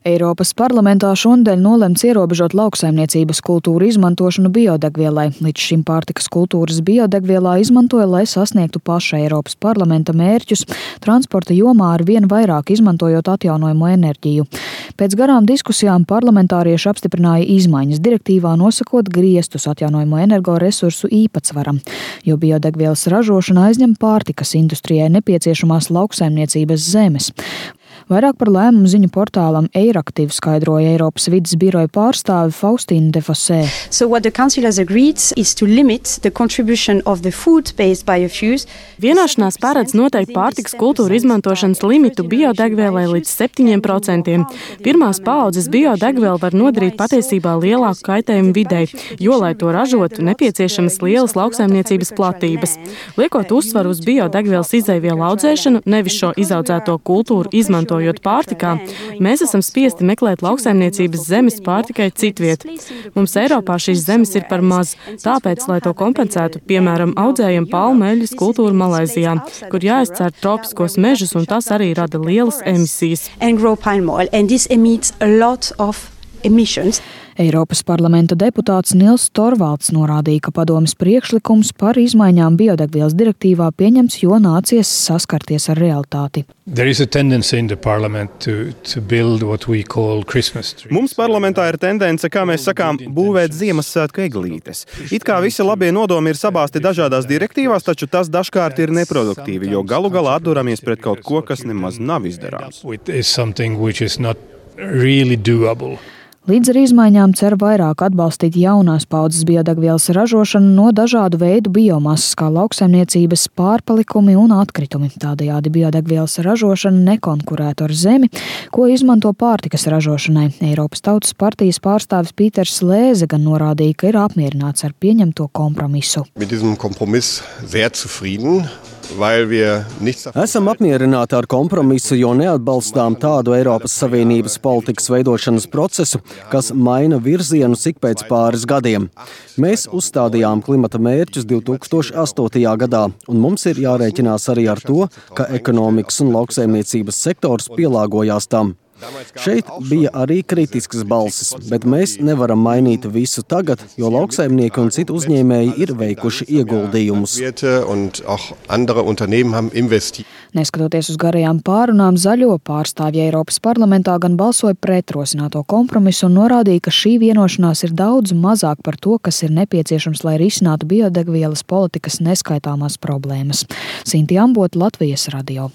Eiropas parlamentā šonadēļ nolemts ierobežot lauksaimniecības kultūru izmantošanu biodegvielai. Līdz šim pārtikas kultūras biodegvielā izmantoja, lai sasniegtu paša Eiropas parlamenta mērķus, transporta jomā ar vien vairāk izmantojot atjaunojamo enerģiju. Pēc garām diskusijām parlamentārieši apstiprināja izmaiņas direktīvā, nosakot griestus atjaunojamo energoresursu īpatsvaram, jo biodegvielas ražošana aizņem pārtikas industrijai nepieciešamās lauksaimniecības zemes. Vairāk par lēmumu ziņu portālam Eiractiv skaidroja Eiropas vides biroja pārstāve Faustīna de Fossē. Vienošanās paredz noteikti pārtikas kultūru izmantošanas limitu biodegvielai līdz 7%. Pirmās paaudzes biodegviela var nodarīt patiesībā lielāku kaitējumu videi, jo, lai to ražotu, nepieciešamas lielas lauksaimniecības platības. Liekot uzsvaru uz biodegvielas izēvielu audzēšanu, nevis šo izaudzēto kultūru izmantojot pārtikā, mēs esam spiesti meklēt lauksaimniecības zemes pārtikai citviet. Mums Eiropā šīs zemes ir par maz, tāpēc, lai to kompensētu, piemēram, audzējam palmu eļļas kultūru Malaizijā, kur jāizcēr tropiskos mežus, un tas arī rada lielas emisijas. Eiropas parlamenta deputāts Nils Torvalds norādīja, ka padomes priekšlikums par izmaiņām biodegvielas direktīvā pieņemts, jo nācies saskarties ar realitāti. Mums parlamentā ir tendence, kā mēs sakām, būvēt Ziemassvētku eglītes. It kā visi labie nodomi ir sabāsti dažādās direktīvās, taču tas dažkārt ir neproduktīvi, jo galu galā atduramies pret kaut ko, kas nemaz nav izdarāms. Līdz ar izmaiņām cer vairāk atbalstīt jaunās paudzes biodegvielas ražošanu no dažādu veidu biomasas, kā lauksaimniecības pārpalikumi un atkritumi. Tādējādi biodegvielas ražošana nekonkurētu ar zemi, ko izmanto pārtikas ražošanai. Eiropas Tautas partijas pārstāvis Pīters Lēze gan norādīja, ka ir apmierināts ar pieņemto kompromisu. Esam apmierināti ar kompromisu, jo neatbalstām tādu Eiropas Savienības politikas veidošanas procesu, kas maina virzienu ik pēc pāris gadiem. Mēs uzstādījām klimata mērķus 2008. gadā, un mums ir jārēķinās arī ar to, ka ekonomikas un lauksaimniecības sektors pielāgojās tam. Šeit bija arī kritiskas balsis, bet mēs nevaram mainīt visu tagad, jo lauksaimnieki un citu uzņēmēji ir veikuši ieguldījumus. Neskatoties uz garajām pārunām, zaļo pārstāvji Eiropas parlamentā gan balsoja pret rosināto kompromisu un norādīja, ka šī vienošanās ir daudz mazāk par to, kas ir nepieciešams, lai risinātu biodegvielas politikas neskaitāmās problēmas. Sinti Ambota, Latvijas radio.